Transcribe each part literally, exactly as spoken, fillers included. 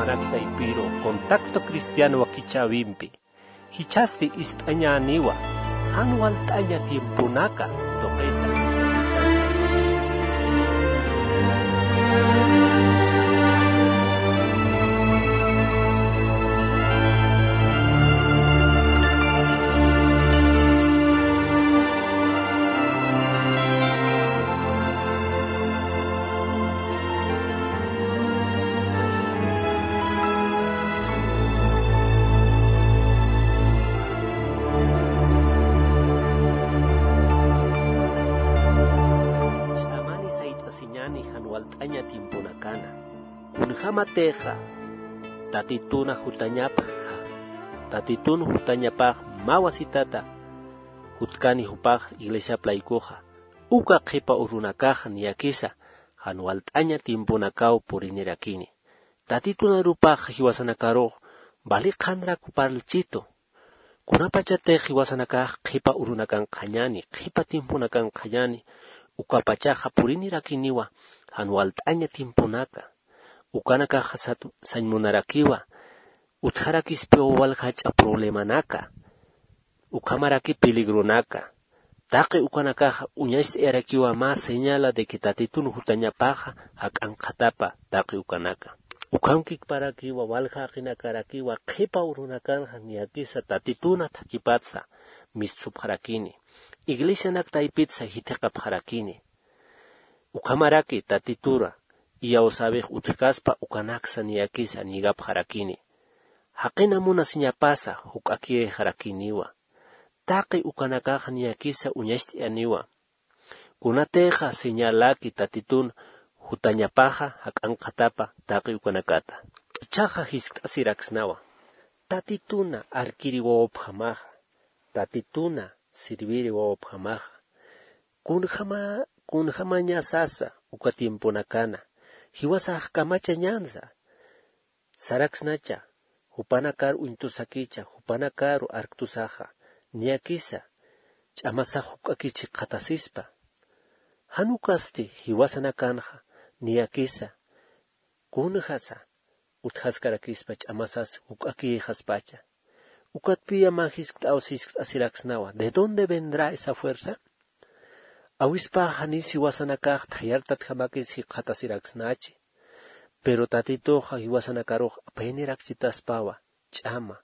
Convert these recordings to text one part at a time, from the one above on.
Anak taypiru, Contacto Cristiano wakichäwimpi jichhasti ist'añäniwa, jan walt'aña tiemponaka tuqita. Ch'amani sayt'asiñäni jan walt'aña tiemponakana. Kunjämatixa Tatituna jutañapxa, Tatitun jutañapax mä wasitata jutkani jupax iglesiap laykuxa, uka qhipa urunakaxa niyakisa jan walt'aña tiemponakaw purinirakini. Tatitun arupax jiwasanakarux vali qhanrak parlchitu. Kunapachatix jiwasanakax qhipa urunakankxañäni, qhipa tiemponakankxañäni, ukapachaxa purinirakiniwa jan walt'aña tiemponaka. Ukanakaxa sat-, sañ munarakiwa utjarakispiw walja jach'a problemanaka. Ukhamaraki peligronaka. Taqi ukanakaxa uñacht'ayarakiwa mä señala de que Tatitun jutañapaxa jak'ankxatapa taqi ukanaka. Ukhamkikparakiwa, walja jaqinakarakiwa, qhipa urunakanxa niyakisa Tatituna thakipatsa mistsupxarakini. Iglesianak taypitsa jithiqapxarakini. Ukhamaraki Tatitura iyawsäwix utjkaspa ukanaksa niyakisa ñigapxarakini. Jaqina munasiñapasa juk'akiyxarakiniwa. Taqi ukanakaxa niyakisa uñacht'ayaniwa. Kunatixa señalaki Tatitun jutañapaxa jak'ankxatapa taqi ukanakata. Ichhaxa jiskt'asiraksnawa. Tatituna arkiri wawapjamaxa. Tatituna sirviri wawapjamaxa. Kunjama, kunjamañasasa uka tiemponakana. Jiwasax kamachañänsa. Saraksnacha, jupanakar uñtusakicha, jupanakaru arktusaxa, niyakisa, ch'amasax juk'akich jikxatasispa. Jan ukasti jiwasanakanxa, niyakisa, kunjasa, utjaskarakispa ch'amasas juk'akiyxaspacha. Ukatpiya mä jiskt'aw jiskt'asiraksnawa, ¿de dónde vendrá esa fuerza? Awispax janiw jiwasanakax thayartatjamakis jikxatasiraksnachi. Pero Tatituxa jiwasanakarux apaynirakchitaspawa, ch'ama.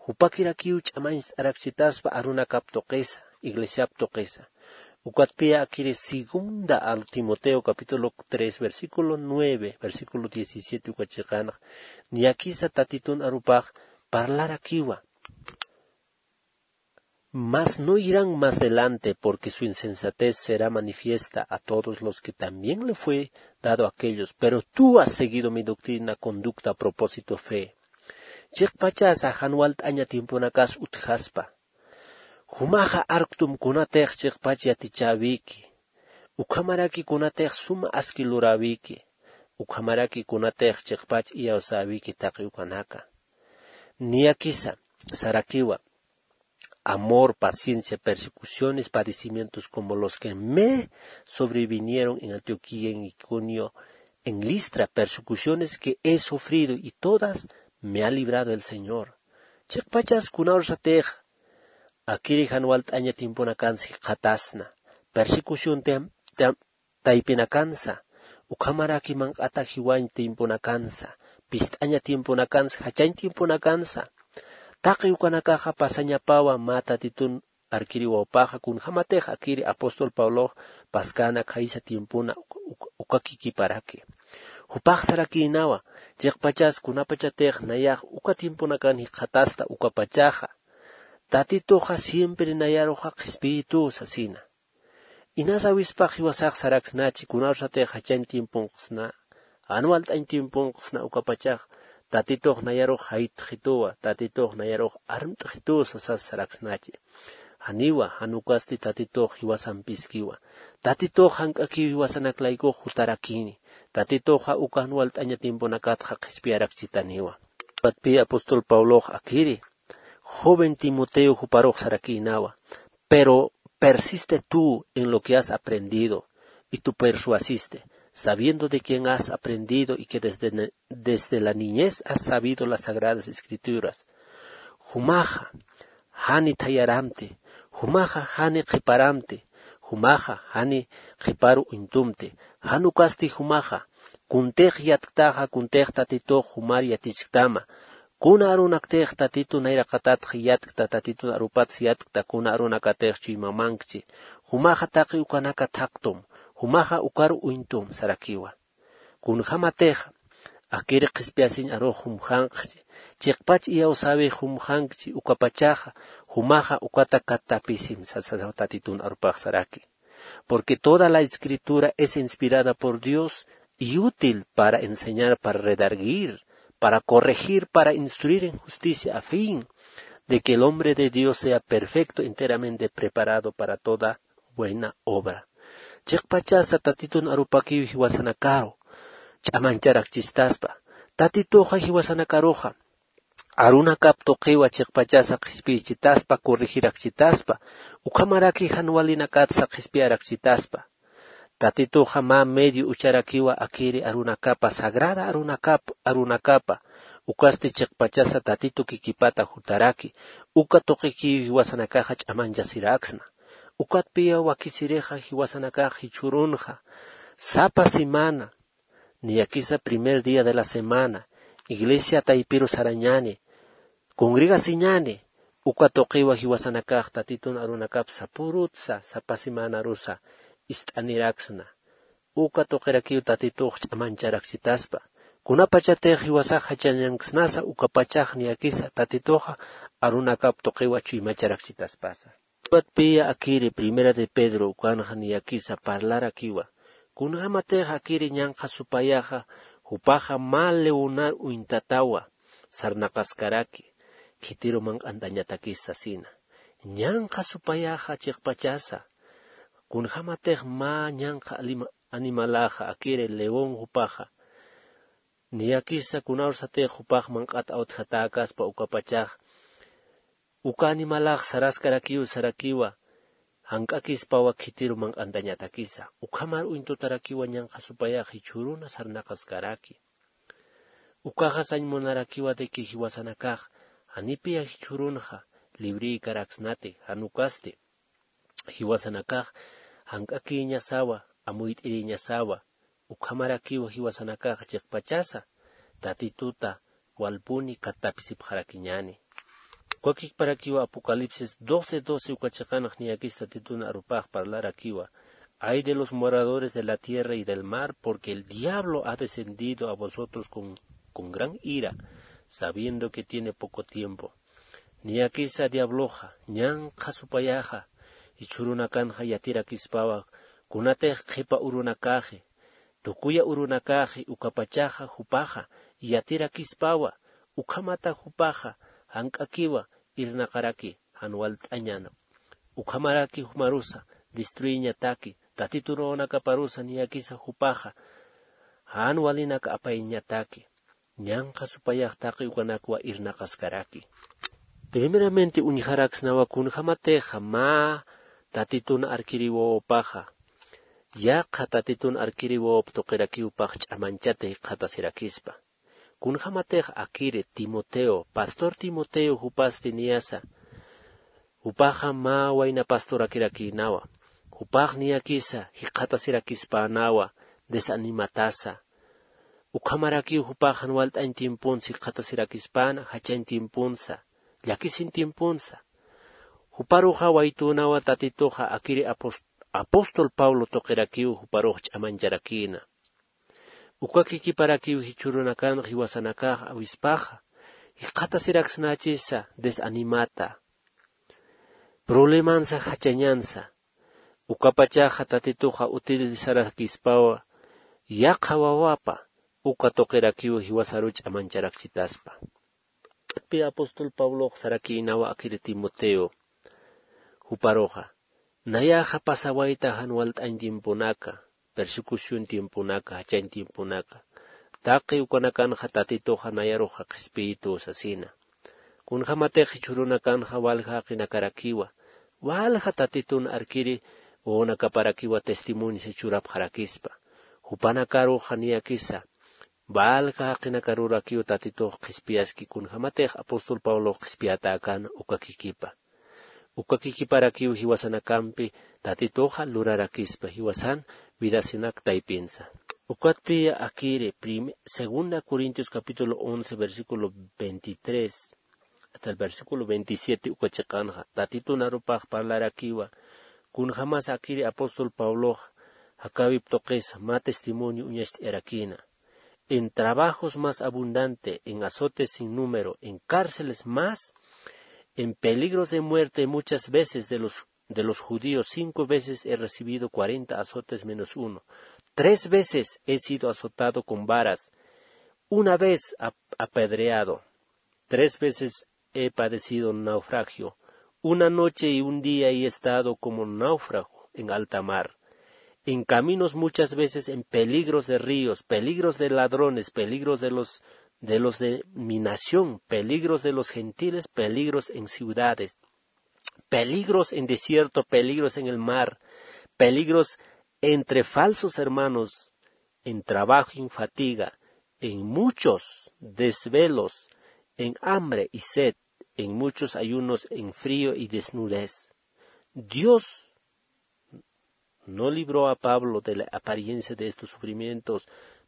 Jupakirakiw ch'amañcht'arakchitaspa arunakap tuqisa, iglesiap tuqisa. Ukatpiya akiri segunda a Timoteo capítulo tres, versículo nueve, versículo diecisiete uka chiqanx, niyakisa Tatitun arupax parlarakiwa. Mas no irán más delante, porque su insensatez será manifiesta a todos los que también le fue dado a aquellos. Pero tú has seguido mi doctrina, conducta, propósito, fe. Chiqpachasa jan walt'aña tiemponakas utjaspa. Jumaxa arktum kunatix chiqpach yatichäwiki. Ukhamaraki kunatix suma aski luräwiki. Ukhamaraki kunatix chiqpach iyawsäwiki taqi ukanaka. Niyakisa, sarakiwa. Amor, paciencia, persecuciones, padecimientos como los que me sobrevinieron en Antioquía, en Iconio, en Listra, persecuciones que he sufrido y todas me ha librado el Señor. Chiqpachas kunawrsatix, akiri jan walt'aña tiemponakansa jikxatasna, persecución tem-, tem-, taypinakansa, ukhamaraki manq'ata jiwañ tiemponakansa, pist'aña tiemponakansa, jachañ tiemponakansa. Taqi ukanakaxa pasañapawa mä Tatitun arkiri wawpaxa, kunjämatix akiri apóstol Pablox paskäna khaysa tiempona uka, uka, ukakikiparaki. Jupax sarakïnawa, chiqpachas kunapachatix nayax uka tiemponakan jikxatasta ukapachaxa, Tatituxa siempre nayaruxa qhispiyituw sasina. Inas awispax jiwasax saraksnachi, kunawsatix jachañ tiemponqsna, jan walt'añ tiemponqsna ukapachax, Tatitux nayarux jaytxituwa, Tatitux nayarux armt'xituw sasas saraksnachi. Janiwa, jan ukasti Tatitux jiwasampiskiwa. Tatitux jank'akiw jiwasanak laykux jutarakini. Tatituxa uka jan walt'aña tiemponakatxa qhispiyarakchitaniwa. Ukatpi apóstol Pablox akiri, joven Timoteo juparux sarakïnawa, pero persiste tú en lo que has aprendido y tú persuasiste, sabiendo de quien has aprendido y que desde, ne- desde la niñez has sabido las sagradas escrituras. Jumaxa jani thayaramti, jumaxa jani qhiparamti, jumaxa jani qhiparu uñtumti. Jan ukasti jumaxa kuntix yatktaxa, kuntix tatitux jumar yatichktama. Kuna arunaktix tatitu nayraqatatx yatkta, tatitun arupatsa yatkta, kuna arunakatix chuymamankchi. Jumaxa taqi ukanaka thaqtum, jumaxa ukaru uñtum sarakiwa. Kunjämatix akiri qhispiyasiñ arux jumxanqchi, chiqpach iyawsäwix jumxankchi, ukapachaxa jumaxa ukata katapisim sasa tatitun arupax saraki. Porque toda la escritura es inspirada por Dios y útil para enseñar, para redarguir, para corregir, para instruir en justicia, a fin de que el hombre de Dios sea perfecto, enteramente preparado para toda buena obra. Chiqpachasa tatitun arupakiw jiwasanakaru ch'amañcharakchistaspa. Tatituxa jiwasanakaruxa arunakap tuqiwa chiqpachasa qhispiyichitaspa, corregirakchitaspa. Ukhamaraki jan walinakatsa qhispiyarakchitaspa. Tatituxa mä medio ucharakiwa akiri arunakapa, sagrada arunakap arunakapa. Ukasti chiqpachasa tatitu kikipata jutaraki. Uka tuqikiw jiwasanakaxa ch'amañchasiraksna. Ukatpiya wakisirixa jiwasanakax jichhürunxa sapa semana, niyakisa primer día de la semana, iglesia taypiru sarañani, congregasiñani. Uka tuqiwa jiwasanakax tatitun arunakap sapürutsa sapa semanarusa ist'aniraksna. Uka tuqirakiw tatitux ch'amañcharakchitaspa. Kunapachatix jiwasax jachañanksnasa, ukapachax niyakisa tatituxa arunakap tuqiwa chuymacharakchitaspasa. Ukatpiya akiri primera de Pedro ukanxa niyakisa parlarakiwa. Kunjämatix akiri ñanqha supayaxa, jupaxa mä leonar uñtatawa sarnaqaskaraki, khitiru manq'antañatakis sasina. Ñanqha supayaxa chiqpachasa, kunjämatix mä ñanqha alima- animalaxa akiri león jupaxa, niyakisa kunawsatix jupax manq'at awtjatäkaspa ukapachax, uka animalax saraskarakiw sarakiwa, jank'akispawa khitiru manq'antañatakisa. Ukhamar uñtutarakiwa ñanqha supayax jichhüruna sarnaqaskaraki. Ukaxa sañ munarakiwa de que jiwasanakax janipiya jichhürunxa librïkaraksnati, jan ukasti jiwasanakax jank'akïñasawa, amuyt'irïñasawa. Ukhamarakiwa jiwasanakax chiqpachasa tatituta walpuni katapisipxarakiñani. Ukakikparakiwa Apocalipsis doce doce uka chiqanx niyakis tatitun arupax parlarakiwa: "Ay de los moradores de la tierra y del mar, porque el diablo ha descendido a vosotros con, con gran ira, sabiendo que tiene poco tiempo". Niyakisa diabloxa ñanqha supayaxa jichhürunakanxa yatirakispawa, kunatix qhipa urunakaxi, tukuya urunakaxi, ukapachaxa jupaxa yatirakispawa, ukhamata jupaxa jank'akiwa irnaqaraki jan walt'añan. Ukhamaraki jumarusa destruiñataki, tatitu runakaparusa niyakisa jupaxa jan walinak apayñataki. Ñanqha supayax taqi ukanakwa irnaqaskaraki. Primeramente uñjaraksnawa kunjämatixa mä tatitun arkiri wawapaxa, yaqha tatitun arkiri wawap tuqirakiw pax ch'amañchata jikxatasirakispa. Kunjämatix akiri Timoteo, pastor Timoteo jupasti niyasa, jupaxa mä wayna pastorakirakïnawa. Jupax niyakisa jikxatasirakispanawa, desanimatasa. Ukhamarakiw jupax jan walt'añ tiemponsa jikxatasirakispana, jachañ tiemponsa, llakisin tiemponsa. Juparuxa waytünawa tatituxa akiri apos- apóstol Pablo tuqirakiw juparux ch'amañcharakïna. Uka kikiparakiw jichhürunakan jiwasanakax awispaxa, jikxatasiraksnachisa desanimata, problemansa jachañansa. Ukapachaxa tatituxa utilizaraskispawa yaqha wawapa, uka tuqirakiw jiwasaru ch'amañcharakchitaspa. Ukatpi apóstol Pablox sarakïnawa akiri Timoteo juparuxa, nayaxa pasawayta jan walt'añ tiemponaka, persecución tiemponaka, jachañ tiemponaka. Taqi ukanakanxa tatituxa nayaruxa qhispiyitu sasina. Kunjämatix jichhürunakanxa walja jaqinakarakiwa, walja tatitun arkiri wawanakaparakiwa testimoniosa churapxarakispa. Jupanakaruxa niyakisa valja jaqinakarurakiw tatitux qhispiyaski kunjämatix apóstol pablox qhispiyatäkän ukakikipa. Ukakikiparakiw jiwasanakampi tatituxa lurarakispa jiwasan vidasinak taypinsa. Ukatpiya akiri segunda corintios capítulo once versículo veintitrés hasta el versículo veintisiete uka chiqanxa tatitun arupax parlarakiwa. Kunjämas akiri apóstol pablox jakäwip tuqisa mä testimonio uñacht'ayarakïna. En trabajos más abundante, en azotes sin número, en cárceles más, en peligros de muerte muchas veces de los, de los judíos, cinco veces he recibido cuarenta azotes menos uno. Tres veces he sido azotado con varas, una vez ap- apedreado, tres veces he padecido naufragio. Una noche y un día he estado como náufrago en alta mar, en caminos muchas veces en peligros de ríos, peligros de ladrones, peligros de los, de los de mi nación, peligros de los gentiles, peligros en ciudades, peligros en desierto, peligros en el mar, peligros entre falsos hermanos, en trabajo y fatiga, en muchos desvelos, en hambre y sed, en muchos ayunos, en frío y desnudez. Dios no libró a Pablo de la apariencia de estos sufrimientos,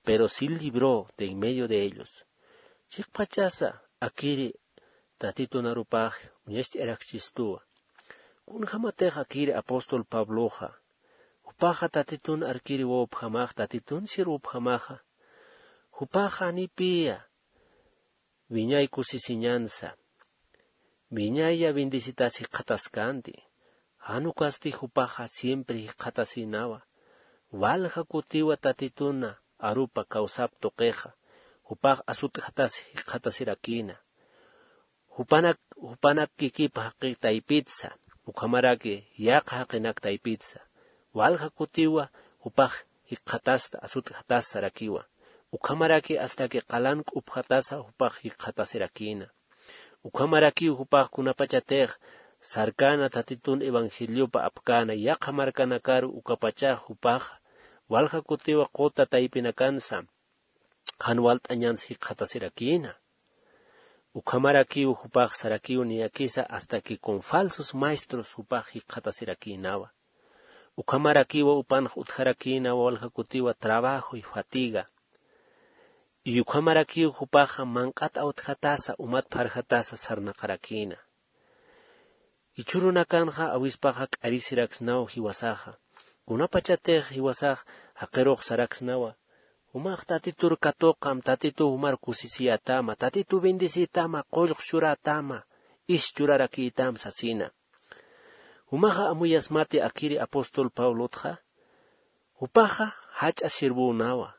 pero sí libró de en medio de ellos. Chiqpachasa akiri tatitun arupax uñacht'ayarakchistuwa. Kunjämatix akiri apóstol pabloxa jupaxa tatitun arkiri wawapjamax tatitun sirwapjamaxa jupaxa janipiya wiñay kusisiñansa wiñaya bendecitas jikxataskänti. Jan ukasti jupaxa siempre jikxatasïnawa. Walja kutiwa tatituna arupa kawsap tuqixa jupax asut'jatas jikxatasirakïna. Jupanak jupanak kikip jaqi taypitsa ukhamaraki yaqha jaqinak taypitsa walja kutiwa jupax jikxatasta asut'jatas sarakiwa. Ukhamaraki astaki qalan k'upxatasa jupax jikxatasirakïna. Ukhamarakiw jupax kunapachatix sarkäna tatitun evangeliopa apkäna yaqha markanakaru ukapachax jupaxa walja kutiwa quta taypinakansa jan walt'añans jikxatasirakïna. Ukhamarakiw jupax sarakiw niyakisa hasta que con falsos maestros jupax jikxatasirakïnawa. Ukhamarakiwa upanx utjarakïnawa walja kutiwa trabajo y fatiga. Y ukhamarakiw jupaxa manq'at awtjatasa umat pharjatasa sarnaqarakïna. Jichhürunakanxa awispaxa k'arisiraksnaw jiwasaxa kunapachatix jiwasax jaqirux saraksnawa. Jumax tatitur katuqam tatituw jumar kusisiyätama tatituw bendeciyätama qullq churätama is churarakïtam sasina. Jumaxa amuyasmati akiri apóstol pablotxa jupaxa jach'a sirvünawa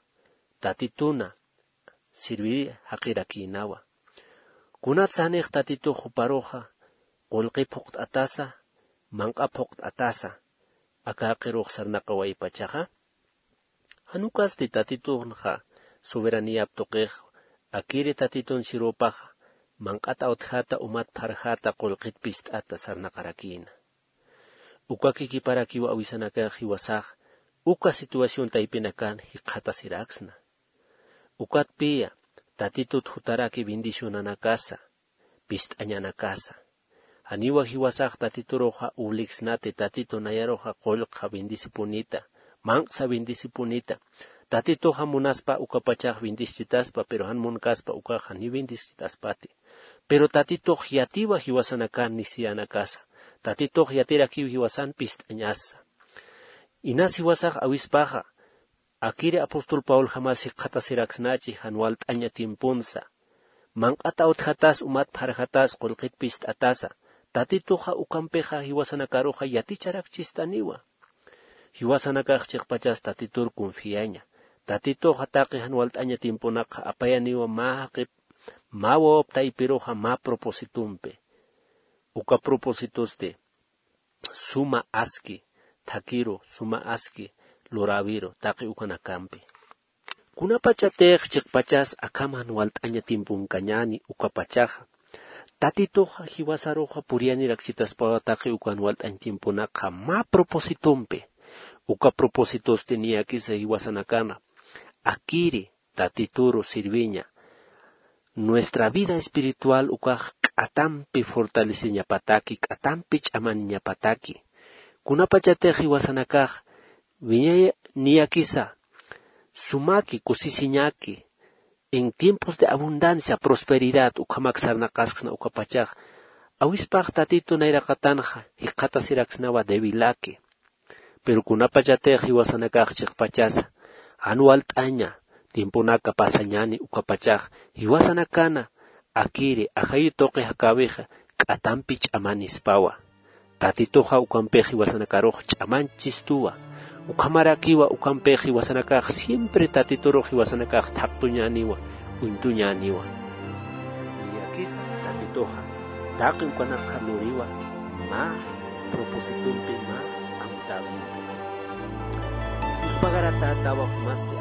tatituna sirviri jaqirakïnawa. Kunatsa janix tatitux juparuxa qullqi phuqt'atasa manq'a phuqt'atasa aka jaqirux sarnaqawaypachaxa? Jan ukasti tatituxnxa soberaniyap tuqix akiri tatitun sirwpaxa manq'at awtjäta umat pharjäta qullqit pist'ata sarnaqarakïna. Uka kikiparakiw awisanakax jiwasax uka situación taypinakan jikxatasiraksna. Ukatpiya tatitut jutaraki bendicionanakasa pist'añanakasa. Janiwa jiwasax tatituruxa ubliksnati tatitu nayaruxa qullqxa bendecipunita manq'sa bendecipunita. Tatituxa munaspa ukapachax bendeschitaspa pero jan munkaspa ukaxa ni bendeschitaspäti. Pero tatitux yatiwa jiwasanakan nisiyanakasa tatitux yatirakiw jiwasan pist'añasa. Inas jiwasax awispaxa akiri apóstol pabljamas jikxatasiraksnachi jan walt'aña tiemponsa manq'at awtjatas umat pharjatas qullqit pist'atasa. Tatituxa ukampixa jiwasanakaruxa yaticharakchistaniwa. Jiwasanakax chiqpachas tatitur confiaña. Tatituxa taqi jan walt'aña tiemponakxa apayaniwa mä jaqip mä wawap taypiruxa mä propositumpi. Uka propositosti suma aski thakhiru suma aski luräwiru taqi ukanakampi. Kunapachatix chiqpachas akham jan walt'aña tiemponkañäni ukapachaxa tatituxa jiwasaruxa puriyanirakchitaspawa taqi uka jan walt'añ tiemponakxa mä propositompi. Uka propositosti niyakisa jiwasanakana akiri Tatituru sirviña. Nuestra vida espiritual ukax k'atampi fortaleceñapataki, k'atampi ch'amaniñapataki. Kunapachatix jiwasanakax wiñay niyakisa sumaki kusisiñaki, en tiempos de abundancia, prosperidad, ukhamak sarnaqasksna ukapachax, awispax Tatitu nayraqatanxa jikxatasiraksnawa débilaki. Pero kunapachatix jiwasanakax chiqpachasa, jan walt'aña, tiemponaka pasañani ukapachax, jiwasanakana, akiri, ajayu tuqi jakäwixa, k'atampi ch'amanispawa. Tatituxa ukampix jiwasanakarux ch'amanchistuwa. Ukhamarakiwa ukampix jiwasanakax siempre Tatiturux jiwasanakax thaqtuñäniwa, uñtuñäniwa. Niyakisa Tatituxa, taqi ukanakxa luriwa, mä propósitompi, mä amtäwimpi. Yuspagaratätawa jumasti